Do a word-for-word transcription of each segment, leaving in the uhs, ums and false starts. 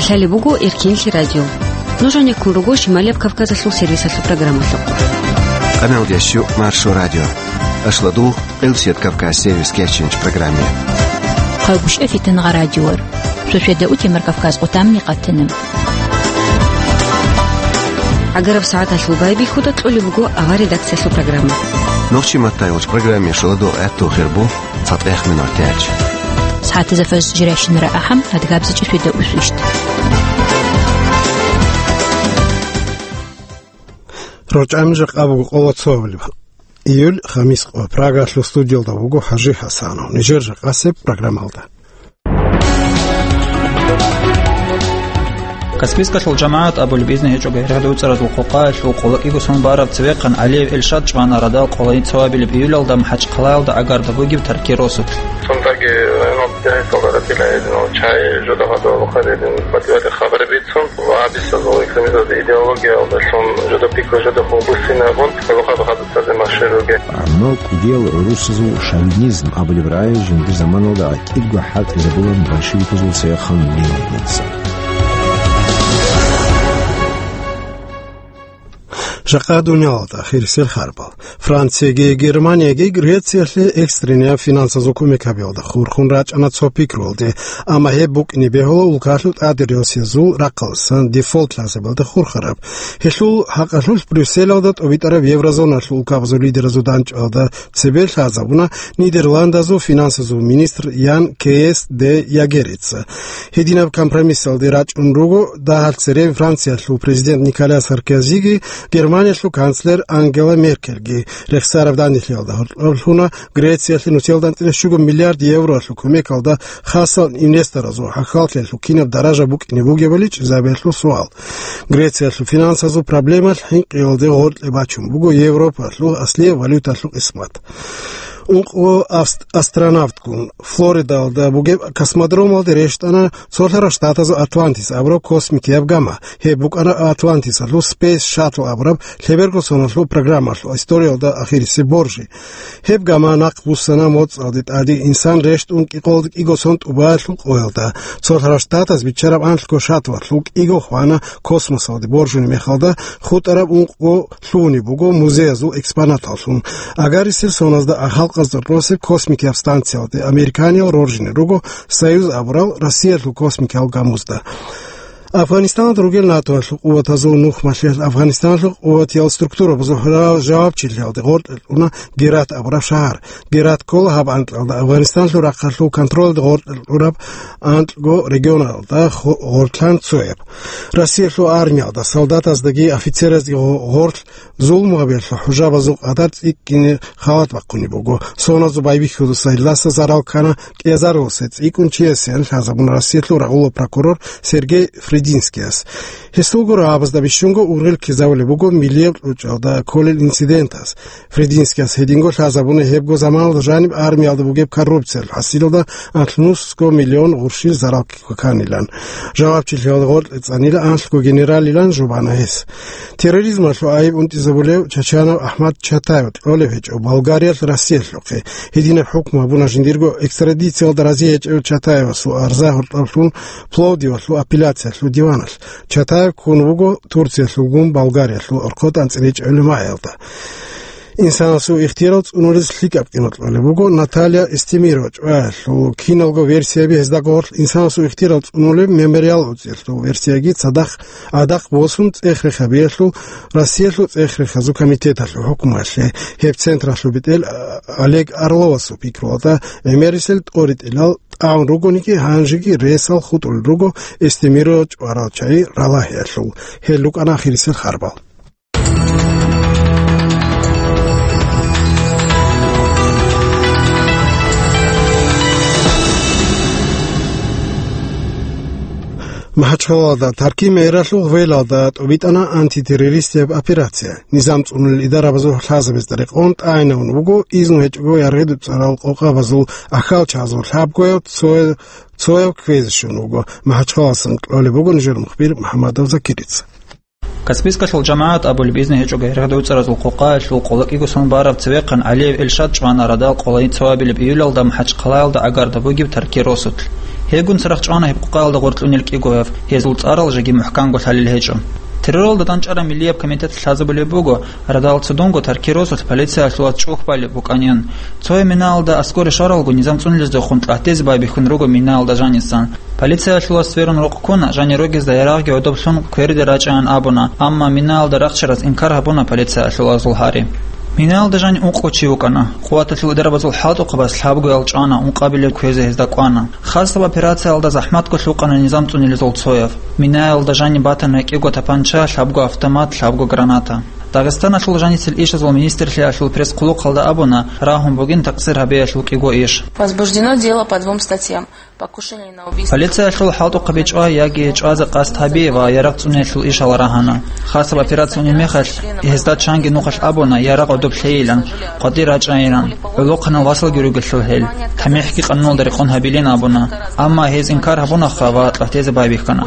Лъалеб буго Эркинлъи радио. Нуж гьанеккун руго Шималияб Кавказалъул сервисалъул программалъухъ. Къаналдиясчу Маршо радио. Ашладул, Къилсият Кавказ сервис кечинч программе. Хъалгушев Фитангъа радиор. Шошведа утемар Кавказ къутамни къатина. Агараб сагӀаталъул байбихьуда кьолеб буго авар редакциялъул программа. Нохчи маттайгъуч программе шуладул гӀатту хирбу. ЦатӀех минуталъ. СагӀатазда фаз жирайщинара ахӀам, адгабзичӀеб свида усвищт. РорчӀами жакъа буго къоло цоабилеб июль, хамис къо. Прагалъул студиялда вуго ХӀажи ХӀасанов. Нижер жакъасеб программалда. Каспийскалъул жамагӀат абулеб изну гьечӀого гьергьад уцӀаразул къокъаялъул къоло кӀиго сон бараб цевехъан ГӀалиев Эльшад чӀвана радал къоло цоабилеб июлалда МахӀачхъалаялда агарда бугеб таркир росулъ. Цундаги гьанал дагьисалда ратила гьединал чай жодагьадал хадедин батӀиялъе хабар бицун ва гьабисазул экстремизмалда идеологиялдалъун жодаб пикру жодахъун буссинабун, гьалухъа бахадуцазе машгьур ругел. Амма кӀудиял гӀурусазул шовинизм абулеб рагӀи жиндир заманалда гӀатӀирго хӀалтӀизабулан большевиказул цевехъан Ленинница. Жакъа дуниялалда ахирисел харбал. Францияги Германияги Грециялъе экстренияв финансазул кумек гьабиялда хурхун рачӀана цо пикруялде, амма гьеб букӀине бегьула улкалъул тӀадегӀанасезул рахъалдасан дефолт лъазабиялда хурхараб. Гьелъул хӀакъалъулъ Брюсселалда тӀобитӀараб еврозоналъул улкабазул лидеразул дандчӀвалда цебе лъазабуна Нидерландазул финансазул министр Ян Кеес де Ягерица. Гьединаб компромиссалде рачӀун руго дагьалъ церен Франциялъул президент Николя Саркозиги Германиялъул канцлер Ангела Меркельги. Рехсараб данделъиялда гьоркьоб лъуна Грециялъе нусиялда анцӀила щуго миллиард евроялъул кумекалда хасал инвесторазул хӀахьаллъиялъул кинаб даража букӀине бугебали чӀезабиялъул суал. Грециялъул финансазул проблемалъ хӀинкъиялде гъоркье бачун буго Европалъул аслияб валюталъул къисмат. Ункъо авст-, астронавтгун Флоридалда бугеб космодромалде рещтӀана цолъарал штатазул Атлантис абураб космикияб гама. Гьеб букӀана Атлантисалъул Space Shuttle абураб лъеберго соналъул программалъул историялда ахирисеб боржи. Гьеб гама нахъ буссана моцӀалде тӀаде инсан рещтӀун кӀикъолда кӀиго сон тӀубаялъул къоялда. Цолъарал штатаз биччараб анлъго шаттлалъул кӀиго хвана космосалде боржуни мехалда, хутӀараб ункъго лъугьунеб буго музеязул экспонаталлъун. Агарисел соназда а халкъазда росеб космикияб станциялде американиял роржине руго Союз абурал Россиялъул космикиял гамузда. Афганистаналда ругел НАТОялъул къуватазул нухмалъиялъ Афганистаналъул къуватиял структурабазул хӀурал жавабчилъиялде гъоркье кьуна Герат абураб шагьар. Герат ккола гьаб анкьалда Афганистаналъул рахъалъул контролалде гъоркье кьураб анкьго регионалда хо-, гъорлъан цояб. Россиялъул армиялда солдатаздаги офицераздаги гъо-, гъорлъ зулму гьабиялъул хӀужабазул къадар цӀикӀкӀине халат бахъунеб буго. Соназул байбихьудаса гьелдаса зарал ккана кӀиазаруласе цӀикӀкӀун чиясеян лъазабуна Россиялъул рагъулаб прокурор Сергей Фридинскияс. Гьесулго рагӀабазда бищунго ургъел ккезавулеб буго миллияб кьучӀалда кколел инцидентаз. Фридинскияс гьединго лъазабуна гьебго заманалда жаниб армиялда бугеб коррупциялъул хӀасилалда анлънусго миллион гъурщил зарал кканилан. Жавабчилъиялда гъоркье цӀанила анлъго генералилан жубана гьес. Терроризмалъул айиб унтӀизабулев Чачанов Ахмад Чатаев кьолеб гьечӀо Болгариялъ Россиялъухъе. Гьединаб хӀукму гьабуна жиндирго экстрадициялда рази гьечӀев Чатаевасул арза гьоркьоблъун Пловдивалъул апелляциялъул диваналъ. Чатаев ккун вуго Турциялъулгун Болгариялъул орхъотӀ анцӀила чӀолеб магӀиялда. Инсанасул ихтияр цӀунулез лъикӀаб къимат кьолеб буго Наталья Эстемирова чӀваялъул киналго версияби. Гьезда гъорлъ инсанасул ихтияр цӀунулеб Мемориал уцӀиялъул версияги цадахъ гӀадахъ босун цӀех-рех гьабиялъул Россиялъул цӀех-рехазул комитеталъул хӀукмуялъе. Гьеб централъул бетӀер Олег Орловасул пикруялда гӀемерисел тӀоритӀилал тӀагӀун ругониги, гьанжеги ресал хутӀулел руго Эстемирова чӀварал чагӀи ралагьиялъул. Гьел рукӀана ахирисел харбал. МахӀачхъалалда Таркий мэралъул гъвелалда тӀубитӀана антитеррористияб операция. Низам цӀунулел идарабазул лъазабазда рекъон тӀагӀинавун вуго изну гьечӀого яргъи-дуцӀарал къокъабазул ахьалчагӀазул лъабгояв цоя-, цояв кквезе щун вуго. МахӀачхъалалдасан кьолеб буго нижер мухбир МухӀамадов Закирица. Каспийскалъул жамагӀат абулеб изну гьечӀого гьергьад уцӀаразул къокъаялъул къоло кӀиго сон бараб цевехъан ГӀалиев Эльшад чӀвана радал къоло цоабилеб июлалда МахӀачхъалаялда агарда бугеб таркир росулъ. Гьебгун цадахъ чӀвана гьеб къокъаялда гъоркьунел кӀигояв, гьезул цӀарал жеги мухӀканго лъалел гьечӀо. Терроралда дандчӀараб Миллияб комитет лъазабулеб буго, радал цо дунго Таркир росулъ полициялъулаз чӀухь балеб букӀанин. Цояв минаялда аскӀоре щваралго, низам цӀунилездехун тӀатӀизе байбихьун руго минаялда жанисан. Полициялъулаз сверун рукъ ккуна, жани рогезда ярагъги гӀодоблъун кверде рачӀаян абуна, амма минаялда рахчараз инкар гьабуна полициялъулазул гьари. Минаялда жани ункъо чи вукӀана. Къуваталъул дарабазул хӀалтӀухъабаз лъабгоял чӀвана, ункъабилеб кквезе гьезда кӀвана. Хасаб операциялда захӀматго лъукъана низам цӀунилезул цояв. Минаялда жани батана кӀиго тапанча, лъабго автомат, лъабго граната. Дагъистаналъул жаницел ишазул министрлъиялъул пресс-хъулухъалда абуна, рагьун бугин такъсир гьабиялъул кӀиго иш. Возбуждено дело по двум статьям. Покушение на убийство. Полициялъул хӀалтӀухъаби чӀвай яги чӀвазе къасд гьаби ва ярагъ цӀуниялъул ишал рагьана. Хасаб операция унеб мехалъ, гьезда чанги нухалъ абуна, ярагъ гӀодоб лъейилан, къватӀир рачӀайилан, гӀолохъанал васалги ругелъул гьел, тамихӀги къануналда рекъон гьабилин абуна. Амма гьез инкар гьабунаха ва тӀатӀизе байбихьана.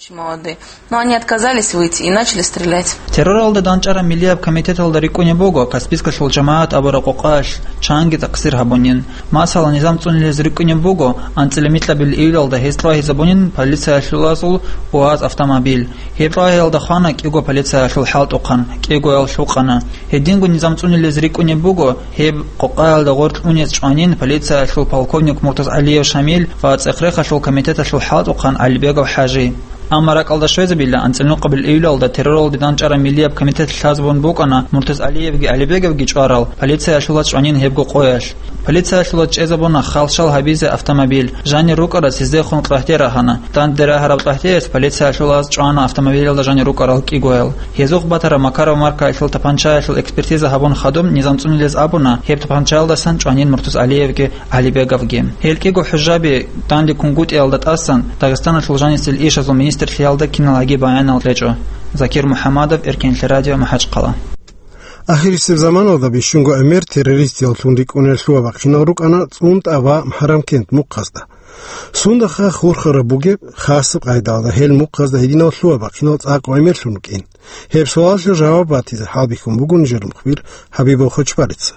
Очень молодые. Но они отказались выйти и начали стрелять. Терроралда дандчӀараб Миллияб комитеталда рикӀкӀунеб буго Каспийскалъул жамагӀат абураб къокъаялъ чанги такъсир гьабунин. Масала, низам цӀунилез рикӀкӀунеб буго, анцӀила микьабил июлалда гьез тӀвагьизабунин полициялъулазул УАЗ автомобиль. Гьеб тӀвагьиялда хвана кӀиго полициялъул хӀалтӀухъан, кӀигоял лъукъана. Гьединго низам цӀунилез рикӀкӀунеб буго, гьеб къокъаялда гъоркь унез чӀванин полициялъул полковник Муртаз ГӀалиев Шамил ва цӀех-рехалъул комитеталъул хӀалтӀухъан ГӀалибегов ХӀажи. Амма ракӀалда щвезабила, анцӀила нухъабил июлалда терроралда дандчӀараб Миллияб комитет лъазабун букӀана Муртаз ГӀалиевги ГӀалибеговги чӀварал полициялъулаз чӀванин гьебго къоялъ. Полициялъулаз чӀезабуна халщал гьабизе автомобиль, жанир рукӀарас гьездехун къагьде рагьана. Данде рагьараб къагьдеялъ полициялъулаз чӀвана автомобилялда жанир рукӀарал кӀигоял. Гьезухъ батараб Макаров маркаялъул тапанчаялъул экспертиза гьабун хадуб низам цӀунилез абуна, гьеб тапанчаялдасан чӀванин Муртаз ГӀалиевги ГӀалибеговги. Гьел кӀиго хӀужаби данде кунгутӀиялда тӀасан Дагъистаналъул жанисел ишазул министрлъиялда киналги баянал кьечӀо. Закир МухӀаммадов, Эркенлъи радио, МахӀачхъала. Ахирисеб заманалда бищунго гӀемер террористияллъун рикӀкӀунел лъугьа-бахъинал рукӀана ЦӀунтӀа ва МхӀарамкент мухъазда. Сундаха хурхараб бугеб, хасаб къайдалда гьел мухъазда гьединал лъугьа-бахъинал цӀакъ гӀемерлъун рукӀин? Гьеб суалалъе жаваб батизе хӀалбихьун буго нижер мухбир Хабибов Хочбарица.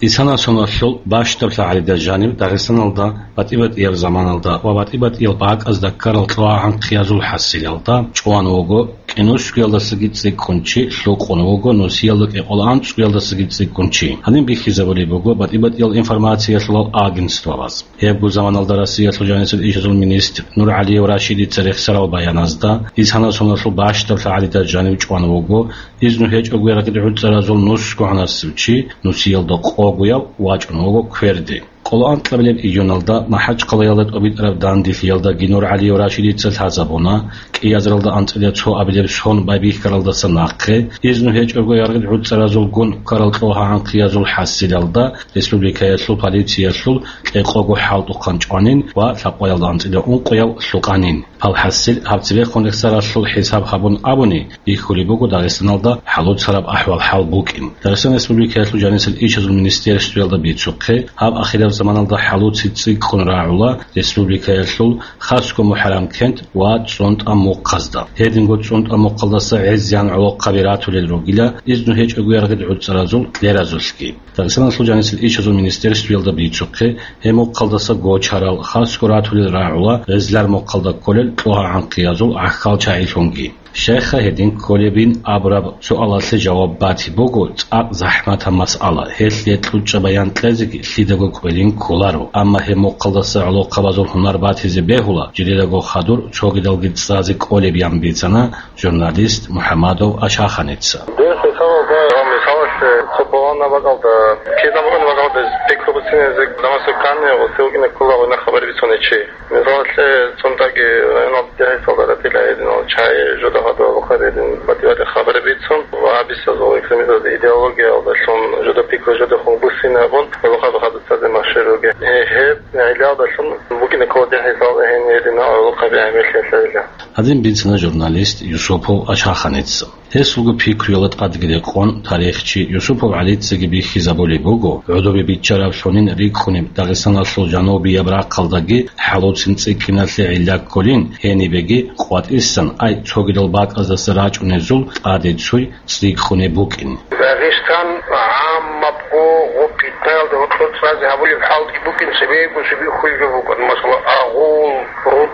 Исана соналъул бащдаб лъагӀалида жанив Дагъистаналда батӀи-батӀиял заманалда ва батӀи-батӀиял бакӀазда ккарал кьогьа-гӀанхъиязул хӀасилалда чӀван вуго кӀинусгоялдасаги цӀикӀкӀун чи, лъукъун вуго нусиялда кӀикъоялда анцӀгоялдасаги цӀикӀкӀун чи. Гьаниб бихьизабулеб буго батӀи-батӀиял информациялъулал агентствоялъ. Гьебго заманалда Россиялъул жанисел ишазул министр НургӀалиев Рашидица рехсарал баяназда, Исана соналъул бащдаб лъагӀалида жанив чӀван вуго, изну гьечӀого ярагъид гӀуцӀаразул нусго гӀанасев чи, нусиялда къогояв, вачӀун вуго кверде. Къоло анкьабилеб июналда МахӀачхъалаялда тӀобитӀараб данделъиялдаги НургӀалиев Рашидица лъазабуна, кӀиазаралда анцӀила цо абилеб сон байбихьаралдаса нахъе, изну гьечӀого ярагъид гӀуцӀаразулгун ккарал кьогьа-гӀанхъиязул хӀасилалда республикаялъул полициялъул кьекъого хӀалтӀухъан чӀванин ва лъабкъоялда анцӀила ункъояв лъукъанин. Гьал хӀасил гьаб цебехун рехсаралъул хӀисаб гьабун абуни, бихьулеб буго Дагъистаналда хӀалуцараб ахӀвал-хӀал букӀин. Дагъистан Республикаялъул жанисел ишазул министерствоялда бицухъе, гьаб ахираб заманалда хӀалуци цӀикӀкӀун рагӀула республикаялъул хасго МухӀарамкент ва ЦӀунтӀа мухъазда. Гьединго ЦӀунтӀа мухъалдаса гӀезегӀан гӀолохъаби ратулел ругила, изну гьечӀого ярагъид гӀуцӀаразул кьеразулъги. Дагъистаналъул жанисел ишазул министерствоялда бицухъе, гьеб мухъалдаса гочарал, хасго ратулел рагӀула гъезлар мухъалда кколел кьогьа-гӀанхъиязул гӀахьал чагӀилъунги. Щайха гьедин кколебин абураб суалалъе жаваб батиб буго цӀакъ захӀматаб масъала, гьелъие кьучӀаб баян кьезеги лъидаго кӀвелин кколаро. Амма гьеб мухъалдаса гӀолохъабазул гьунар батизе бегьула, жидедаго хадур цогидалги цӀазе кӀолеб, ян бицана журналист МухӀамадов Ашаханица. Дин хӀисабалда ва мисалалъе цо пуланаб бакӀалда, кида букӀунеб бакӀалда пикру буцинезе, намасул кане ва силкине ккола гъуна хабар бицунев чи. Мисалалъе, ЦӀунтӀаги районалда дехӀисалда ратила гьединал чагӀи, жодагьада гьалухъа гьедин батӀи-батӀи хабар бицун ва гьабисазул экстремизмалда идеологиялдалъун жодаб пикру жодехун буссинабун, гьалухъа хадуцазе машгьур ругел. Гьеб гӀелиялдалъун букӀине ккола дехӀисал гьениб гьединал гьалухъаби гӀемерлъи лъайила. Гьадин бицана журналист Юсупов Ашаханица. Гьесулго пикруялда тӀадги рекъон, тарихчи Юсупов ГӀалицаги бихьизабулеб буго, гӀодобе биччараблъунин рикӀкӀунеб Дагъистаналъул жанубияб рахъалдаги хӀалуцин цӀикӀкӀиналъе гӀилла кколин, гьенибеги къватӀисан, ай, цогидал бакӀаздаса рачӀунезул тӀаде цуй цӀикӀкӀунеб букӀин. Дагъистан гӀаммабго гъоб питнаялда гьоркьор цӀазе гьабулеб хӀалги букӀин, цебего цебе хвезаб букӀан, масала, агъу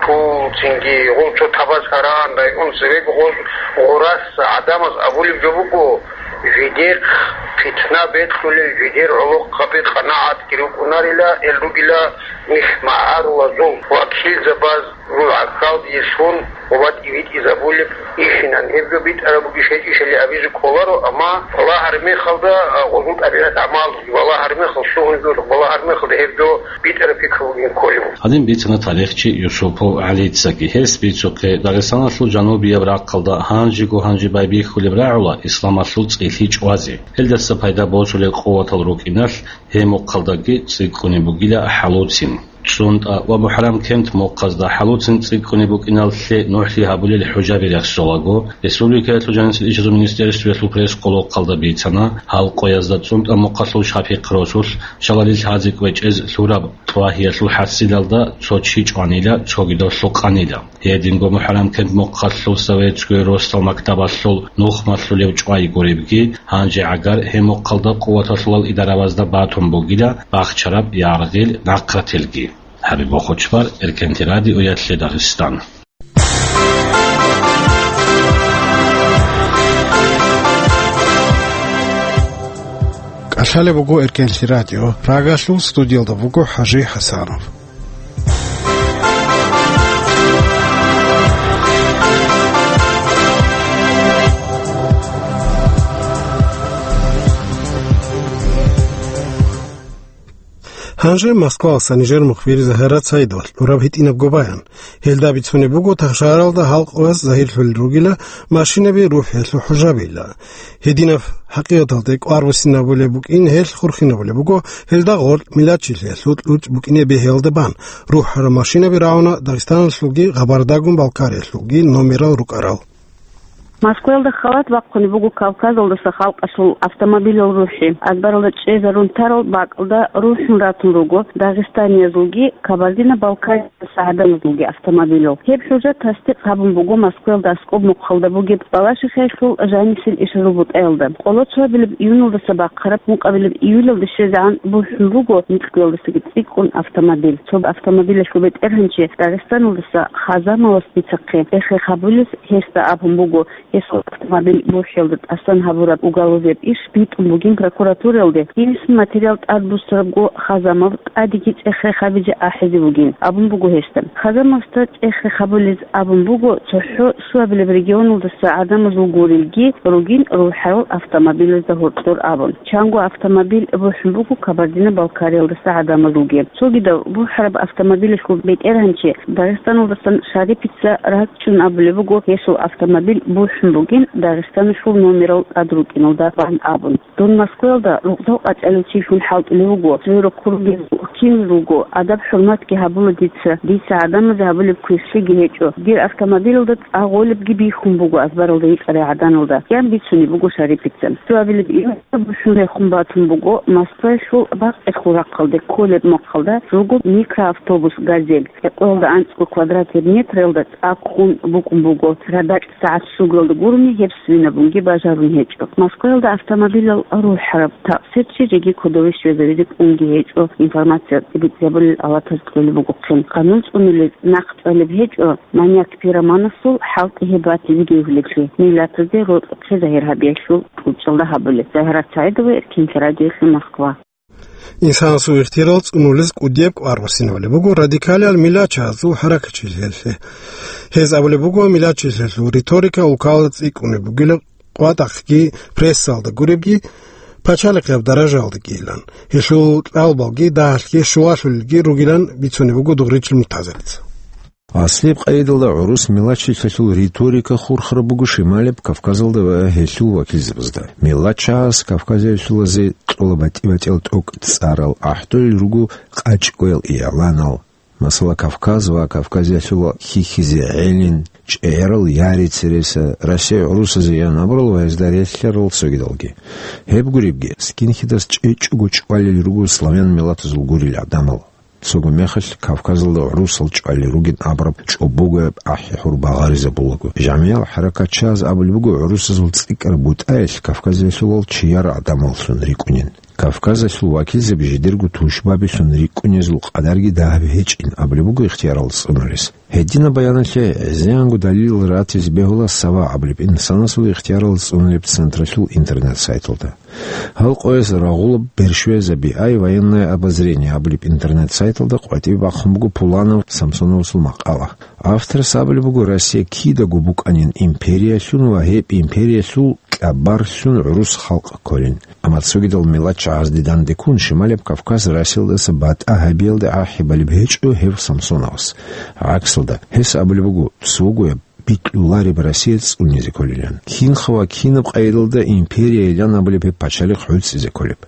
Пу, цинги гъол цо табаз гьаран район цевеги гъоз гъурас гӀадамаз абулеб жо буго, жидехъ питна бекьулел, жидер гӀолохъаби къанагӀатги рукӀунарила, эл ругила нилъ магӀарулазул вакилзабаз жугьа-хьалдиялъун ва батӀи-битӀизабулеб ихинан. Гьеб жо битӀараб бугищ гьечӀищали абизе кколаро, амма балагьараб мехалда, а, гъозул тӀабигӀат гӀамал, балагьараб мехалда, лъугьун жо балагьараб мехалда гьеб жо битӀараб пикру бугин кколев. Гьадин бицана тарихчи Юсупов ГӀалицаги. Гьес бицухъе, Дагъистаналъул жанубияб рахъалда гьанжего-гьанже байбихьулеб рагӀула исламалъул цӀилъи чӀвазе. Гьелдаса пайда босулел къуватал рукӀиналъ гьеб мухъалдаги цӀикӀкӀунеб бугила ХӀалуцин. ЦӀунтӀа ва МухӀаррам-Кент мухъазда ХӀалуцин цӀикӀкӀунеб букӀиналъе нухлъи гьабулел хӀужаби рехсолаго, республикаялъул жанисел ишазул министерствоялъул пресс-къулухъалда бицана, гьал къоязда ЦӀунтӀа мухъалъул Шапихъ росулъ шалалил лъазе кӀвечӀез лъураб тӀугьиялъул хӀасилалда цо чи чӀванила, цогидавлъул къанила. Гьединго МухӀаррам-Кент мухъалъул советскую росдал мактабалъул нухмалъулев чӀвай гуребги, гьанже гӀагар гьеб мухъалда къуваталъулал идаравазда батун бугила бахчараб яргъил нахърателги. ХӀабиб Бохочбар, Эркенти радиоялъе Дагъистан. КӀалъалеб буго Эркенти радио. Прагалъул студиялда вуго ХӀажи ХӀасанов. Гьанже Москвалъа нижер мухбир Загьират Саидовалъ гьураб гьитӀинабго баян. Гьелда бицунеб буго, тахшаралда гьал къояз загьирлъулел ругила машинаби рухӀиялъул хӀужабила. Гьединаб хӀакъикъаталде кӀвар буссинабулеб букӀин, гьелъ хурхинабулеб буго, гьелда гъоркь миллатчилъиялъул кьучӀ букӀине бегьиялда бан рухӀараб машинаби рагӀуна Дагъистаналъулги Къабардагун-Балкариялъулги номерал рукӀарал. Москваялда халат бахъунеб буго Кавказалдаса халкъалъул автомобилал рухӀи. Азбаралда чӀезарун тарал бакӀалда рухӀун ратун руго дагъистаниязулги Кабардино-Балкариялдаса гӀадамазулги автомобилал. Гьеб хӀужа тасдикъ гьабун буго Москваялда аскӀоб мухъалда бугеб Балашихъалъул жанисел ишазул бутӀаялда. Къоло цоабилеб июньалдаса бахъараб ункъабилеб июльалде щвезегӀан бухӀун буго микьгоялдасаги цӀикӀкӀун автомобиль. Цо автомобилалъул бетӀергьанчи Дагъистаналдаса Хазамовас бицахъе, эхе хабулес гьесда абун буго, гьесул автомобиль бухӀиялда тӀасан гьабураб уголовияб иш битӀун бугин прокуратураялде, гьениб материал тӀадбуссарабго Хазамов тӀадеги цӀех-рех гьабизе ахӀизе бугин абун буго гьесда. Хазамовасда цӀех-рех гьабулез абун буго цохӀо щуабилеб регионалдаса гӀадамазул гурелги ругин рухӀарал автомобилазда гьоркьор абун. Чанго автомобиль бухӀун буго Кабардино-Балкариялдаса гӀадамазулги. Цогидав бухӀараб автомобилалъул бетӀергьанчи Дагъистаналдасан Шарипица ракӀчӀун абулеб буго, гьесул автомобиль бухӀун бугин Дагъистаналъул номерал тӀад рукӀиналда бан абун. Дун Москваялда рукъзал къачӀалев чилъун хӀалтӀулев вуго, сверухъ ругел кинал руго, адаб-хӀурматги гьабула дица, дица гӀадамазе гьабулеб квешлъиги гьечӀо. Дир автомобилалда цӀа гъолебги бихьун буго азбаралда йикъарай гӀаданалда, ян бицунеб буго Шарипица. Цоабилеб июньалда бухӀун рехун батун буго Москваялъул бакъалъул рахъалде кколеб мухъалда руго микроавтобус «Газель». Гьекъоялда анцӀго квадратный метралда цӀа ккун букӀун буго. Радакь сагӀат щугалда гурони гьеб свинабунги бажарун гьечӀо. Москваялда автомобилал рухӀараб такъсирчи жеги кодове щвезавизе кӀунги гьечӀо, информация тӀибитӀизабулел алатаз кьолеб бугохъин. Къанун цӀунулез нахъ чӀвалеб гьечӀо, маньяк-пироманасул хӀалтӀи гьеб батизеги гьулеблъи, миллатазде рокьухъе загьир гьабиялъул кьучӀалда гьабулеб. Загьират Саидова, Эркенти радиоялъе, Москва. Инсанасул ихтияр цӀунулез кӀудияб кӀвар буссинабулеб буго радикалиял миллатчагьазул хӀаракатчилъиялъе. Гьез абулеб буго, миллатчилъиялъул риторика улкалда цӀикӀкӀунеб бугила къватӀахъги, прессалда гуребги, пачалихъияб даражаялдагийилан. Гьелъул кьалбалги дагьалъги щулалъулелги ругилан бицунеб буго Дугъричил Муртазарица. Аслияб къайдалда гӀурус миллатчилъиялъул риторика хурхараб буго Шималияб Кавказалда ва гьелъул вакилзабазда. Миллатчагьаз Кавказалъулазе кьола батӀи-батӀиял тӀокӀ цӀарал, ахӀдолел руго къачӀкӀоял игӀланал. Масала, Кавказ ва Кавказалъула хьихьизе гӀелин, чӀегӀерал яри цереса, Россия гӀурусазе ян абурал ва гьезда релълъарал цогидалги. Гьеб гуребги, скинхедас чӀечӀого чӀвалел руго славян миллатазул гурел гӀадамал. Цого мехалъ Кавказалда гӀурусал чӀвалел ругин абураб чӀобогояб ахӀи-хӀур багъаризабулаго. ЖамигӀал хӀаракатчагьаз абулеб буго, гӀурусазул цӀикӀкӀараб бутӀаялъ Кавказалъулал чияр гӀадамаллъун рикӀкӀунин. Кавказалъул вакилзаби жидерго тушбабилъун рикӀкӀунезул къадарги дагьаб гьечӀин абулеб буго ихтиярал цӀунулес. Гьединаб баяналъе гӀезегӀанго далил ратизе бегьула Сава абулеб инсанасул ихтиярал цӀунулеб централъул интернет-сайталда. Гьал къояс рагъулаб бершвезаби ай «Военное обозрение» абулеб интернет-сайталда къватӀибе бахъун буго Пуланов Самсоновасул макъала. Авторас абулеб буго, Россия кидаго букӀанин империялъун ва гьеб империялъул кьабарлъун гӀурус халкъ кколин. Амма цогидал миллатчагӀазде дандеккун Шималияб Кавказ Россиялдаса батӀа гьабиялде ахӀи балеб гьечӀо гьев Самсоновас. ГӀаксалда, гьес абулеб буго, цогояб бикьулареб Россия цӀунизе кколилан. Кинха ва кинаб къайдалда империяйилан абулеб гьеб пачалихъ гӀуцӀизе кколеб.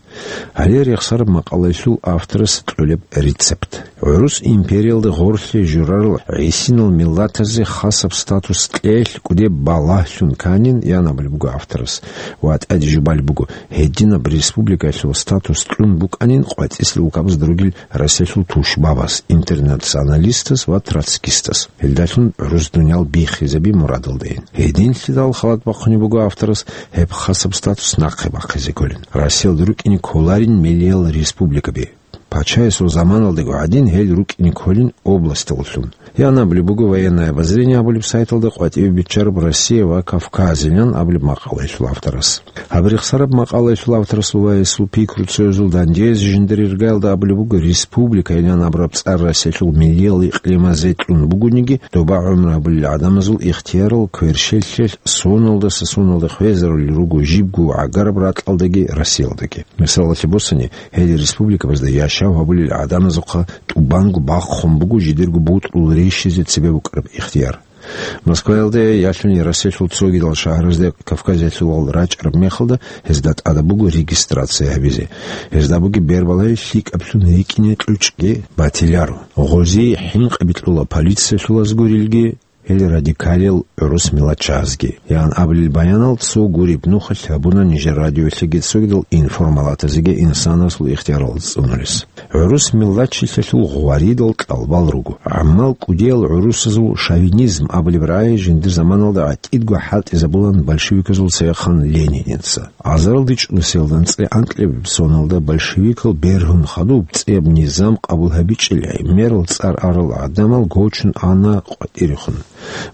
Гьале рехсараб макъалаялъул авторас кьолеб рецепт. ГӀурус империялда гъорлъе журарал гӀисинал миллатазе хасаб статус кьеялъ кӀудеб балагьлъун канин, ян абулеб буго авторас, ва тӀаде жубалеб буго, гьединаб республикаялъул статус кьун букӀанин къватӀислъи улкабазда ругел Россиялъул тушбабаз, интернационалистаз ва троцкистаз. Гьелдалъун гӀурус дуниял биххизаби мурадалдайин. Гьединлъидал халат бахъунеб буго авторас гьеб хасаб статус нахъе бахъизе кколин. Россиялда рукӀине кколарин миллиял республикаби. Пачаясул заманалдаго гӀадин гьел рукӀине кколин областаллъун. Ян абулеб буго «Военное обозрение» абулеб сайталда къватӀибе биччараб «Россия ва Кавказилан» абулеб макъалаялъул авторас. Гьаб рехсараб макъалаялъул авторасул ва гьесул пикру цоязул дандеязе жиндир иргаялда абулеб буго, республикайилан абураб цӀар Россиялъул миллиял икълимазе кьун бугониги, доба гӀумру гьабулел гӀадамазул ихтиярал кверщелъиялъ соналдаса соналде хвезарулел руго жибго гӀагараб ракьалдаги Россиялдаги. Мисалалъе босани, гьел республикабазда яшав гьабулел гӀадамазухъа тӀубанго бахъун буго жидерго бутӀрул рищизе цебе букӀараб ихтияр. Москваялде ялъуни Россиялъул цогидал шагьаразде Кавказалъулал рачӀараб мехалда гьезда тӀадаб буго регистрация гьабизе. Гьезда бугеб бербалай лъикӀаблъун рикӀкӀине кьучӀги батиларо. Гъозие хӀинкъи бикьула полициялъулаз гурилги, гьел радикалил гӀурус миллатчагӀазги, ян абулел баянал цо гуреб нухалъ гьабуна нижер радиоялъеги цогидал информалатазеги инсанасул ихтиярал цӀунулес. ГӀурус миллатчилъалъул гъваридал кьалбал руго. ГӀаммал кӀудиял гӀурусазул шовинизм абулеб рагӀи жиндир заманалда гӀатӀидго хӀалтӀизабулан большевиказул цевехъан Лениница. Азарилда чӀунусиялда анцӀила анкьабилеб соналда большевикал бергьун хадуб цӀияб низам къабул гьабичӀел гӀемерал цӀар арал гӀадамал гочун ана къватӀирехун.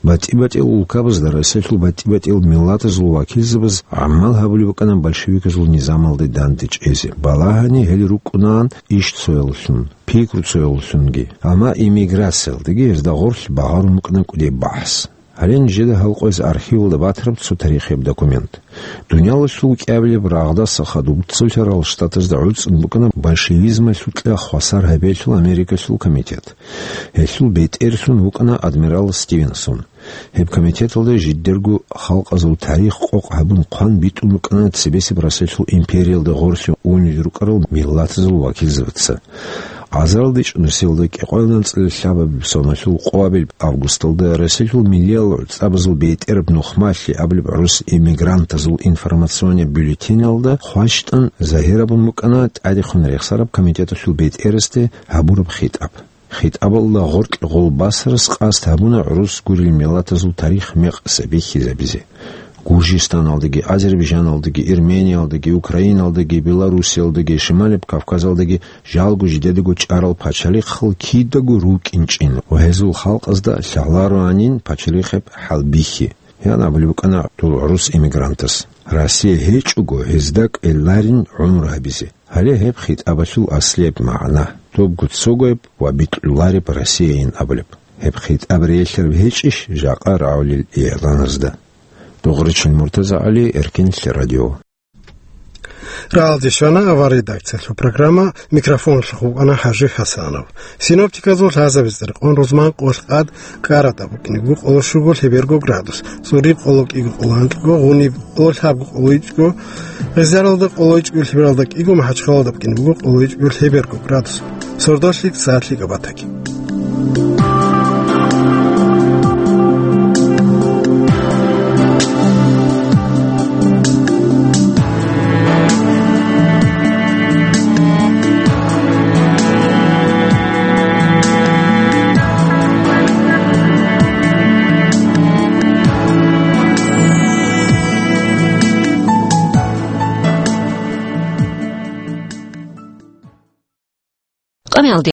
БатӀи-батӀиял улкабазда, Россиялъул батӀи-батӀиял миллатазул вакилзабаз гӀамал гьабулеб букӀана большевиказул низамалде дандечӀезе. Балагьани гьел рукӀунаан иш цоялъун, пикру цоялъунги, амма эмиграциялдаги гьезда гъорлъ багъарун букӀана кӀудеб бахӀс. Гьале нижеда гьал къояз архивалда батараб цо тарихияб документ. Дуниялалъул кӀиабилеб рагъдаса хадуб Цолъарал Штатазда гӀуцӀун букӀана большевизмалъукьа хвасар гьабиялъул Америкалъул комитет. Гьелъул бетӀерлъун вукӀана адмирал Стивенсон. Гьеб комитеталда жидерго халкъазул тарих къокъ гьабун хъван битӀун букӀана цебесеб Россиялъул империялда гъорлъе унел рукӀарал миллатазул вакилзабаца. Азарилда чӀунусиялда кӀикъоялда анцӀила лъабабилеб соналъул къоабилеб августалда Россиялъул миллиял гӀуцӀабазул бетӀераб нухмалъи абулеб гӀурус эмигрантазул информационный бюллетеналда хващтӀан загьир абун букӀана тӀадехун рехсараб комитеталъул бетӀерасде гьабураб хитӀаб. ХитӀабалда гъоркье гъол басарас къасд гьабуна гӀурус гурел миллатазул тарих мекъса бихьизабизе. Гуржистаналдаги, Азербайжаналдаги, Эрмениялдаги, Украиналдаги, Белоруссиялдаги, Шималеб Кавказалдаги жалго жидедаго чӀарал пачалихъал кидаго рукӀинчӀин ва гьезул халкъазда лъалароанин пачалихъеб хӀалбихьи, ян абулеб букӀана дол гӀурус эмигрантас. Россия гьечӀого гьезда кӀеларин гӀумру гьабизе. Гьале гьеб хитӀабалъул аслияб магӀна, добго цогояб ва бикьулареб Россияйин абулеб. Гьеб хитӀаб релълъараб гьечӀищ жакъа рагӀулел игӀланазда? Дугъричил Муртазагьали, Эркенлъи радио. Рагьалде щвана авария редакциялъул программа, микрофоналъухъ вукӀана ХӀажи ХӀасанов. Синоптиказул лъазабизе рекъон рузман къолъ къад Карада букӀине буго къоло щуго лъеберго градус, ЦӀуриб къоло кӀиго къоло анкьго, Гъуниб къоло лъабго къоло ичӀго, Гъизаралда къоло ичӀго лъебералда кӀиго, МахӀачхъалада букӀине буго къоло ичӀго лъеберго градус. Сордолъи сагӀат лъикӀаб батаги.